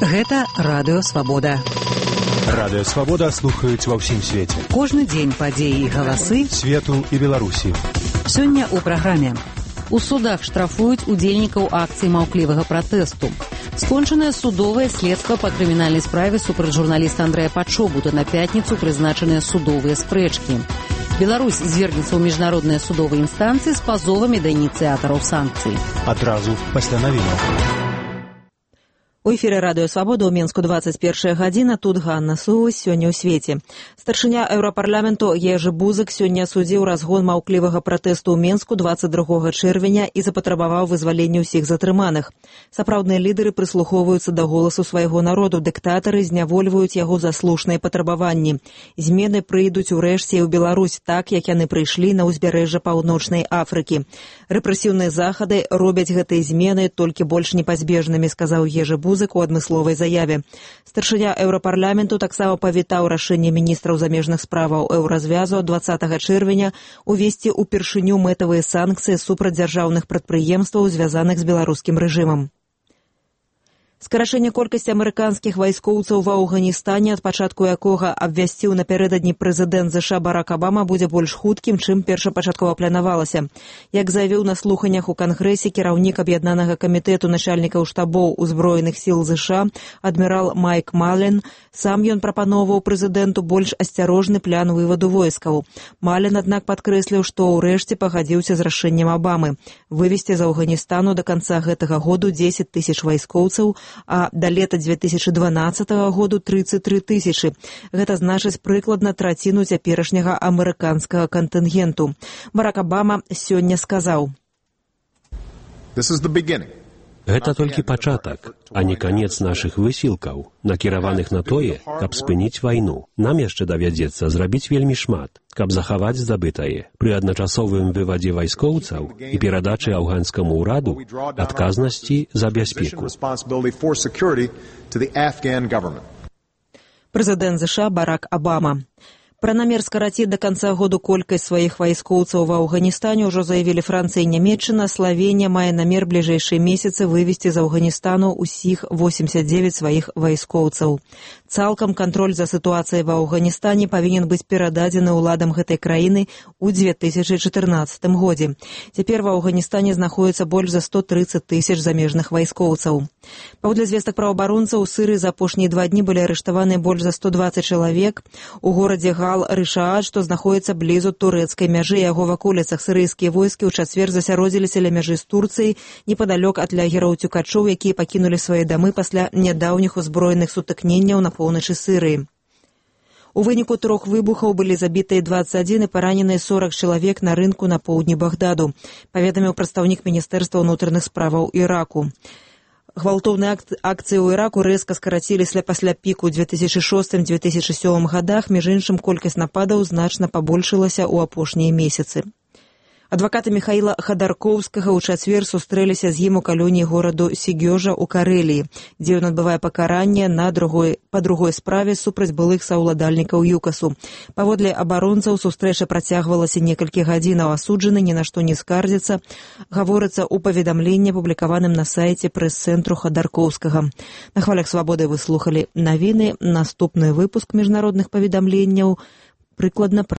Гэта Радыё Свабода. Радыё Свабода слухаюць ва ўсім свеце. Кожны дзень падзеі і галасы свету і Беларусі. Сёння ў праграме. У судах штрафуюць удзельнікаў акцыі маўклівага пратэсту. Скончанае судовае следства па крымінальнай справе супраць журналіста Андрэя Пачобута. На пятніцу прызначаныя судовыя спрэчкі. Беларусь звергнецца ў міжнародныя судовыя інстанцыі з пазовамі да ініцыятараў санкцый. Адразу пасля навінаў. У эфіры Радыё Свабода ў Менску 21 гадзіна. Тут Ганна Сувась. Сёння ў свеце. Старшыня Еўрапарламенту Ежы Бузак сёння асудзіў разгон маўклівага пратэсту ў Менску 22 чэрвеня і запатрабаваў вызвалення ўсіх затрыманых. Сапраўдныя лідары прыслухоўваюцца да голасу свайго народу. Дыктатары знявольваюць яго за слушныя патрабаванні. Змены прыйдуць урэшце і ў Беларусь, так як яны прыйшлі на ўзбярэжжа Паўночнай Афрыкі. Рэпрэсіўныя захады робяць гэтыя змены толькі больш непазбежнымі, сказаў Ежы Бузак у адмысловай заяве. Старшыня Еўрапарламенту таксама павітаў рашэнне міністраў замежных справаў Еўразвязу 20 чэрвеня увесці ўпершыню мэтавыя санкцыі супраць дзяржаўных прадпрыемстваў, звязаных з беларускім рэжымам. Скарачэнне колькасці амерыканскіх вайскоўцаў ва Афганістане, ад пачатку якога абвясціў напярэдадні прэзідэнт ЗША Барак Абама, будзе больш хуткім, чым першапачаткова планавалася. Як заявіў на слуханнях у Кангрэсе кіраўнік аб'яднанага камітэту начальнікаў штабоў узброеных сіл ЗША адмірал Майк Мален, сам ён прапаноўваў прэзідэнту больш асцярожны план вываду войскаў. Мален, аднак, падкрэсліў, што ўрэшце пагадзіўся з рашэннем Абамы вывесці з Афганістану да канца гэтага году 10 тысяч вайскоўцаў, а да лета 2012 году 33 тысячы. Гэта значыць прыкладна траціну цяперашняга амерыканскага кантынгенту. Барак Абама сёння сказаў: Гэта толькі пачатак, а не канец нашых высілкаў, накіраваных на тое, каб спыніць вайну. Нам яшчэ давядзецца зрабіць вельмі шмат, каб захаваць здабытае. Пры адначасовым вывадзе вайскоўцаў і перадачы афганскаму ўраду адказнасці за бяспеку. Прэзідэнт ЗША Барак Абама. Пра намер скараціць да канца году колькасць сваіх вайскоўцаў ва Афганістане ўжо заявілі Францыя і Нямецчына. Славенія мае намер бліжэйшыя месяцы вывесці з Афганістану ўсіх 89 сваіх вайскоўцаў. Цалкам кантроль за сітуацыяй ва Афганістане павінен быць перададзены ўладам гэтай краіны ў 2014 годзе. Цяпер ва Афганістане знаходіцца больш за 130 тысяч замежных вайскоўцаў. Паводле звестак праваабаронцаў, у Сырыі за апошнія 2 дні былі арыштаваны больш за 120 чалавек. У горадзе Рышаат, што знаходіцца блізу турэцкай мяжы, яго ваколіцах сірыйскія войскі ў чацвер засяродзіліся ля мяжы з Турцыяй непадалёк ад лагераў цюкачоў, якія пакінулі свае дамы пасля нядаўніх узброеных сутыкненняў на поўначы Сырыі. У выніку 3 выбухаў былі забітыя 21 і параненыя 40 чалавек на рынку на поўдні Багдаду, паведаміў прадстаўнік Міністэрства ўнутраных справаў Іраку. Гвалтоўныя акцыі ў Іраку рэзка скараціліся пасля піку ў 2006-2007 годах, між іншым колькасць нападаў значна пабольшылася ў апошнія месяцы. Адвакаты Міхаіла Хадаркоўскага ў чацвер сустрэліся з ім у калоніі гораду Сігёжа ў Карэліі, дзе ён адбывае пакаранне па другой справе супраць былых саўладальнікаў ЮКАСу. Паводле абаронцаў, сустрэча працягвалася некалькі гадзінаў. Асуджаны ні на што не скардзіцца, гаворыцца ў паведамленні, апублікаваным на сайце прэс-цэнтру Хадаркоўскага. На хвалях Свабоды вы слухалі навіны. Наступны выпуск міжнародных паведамленняў прыкладна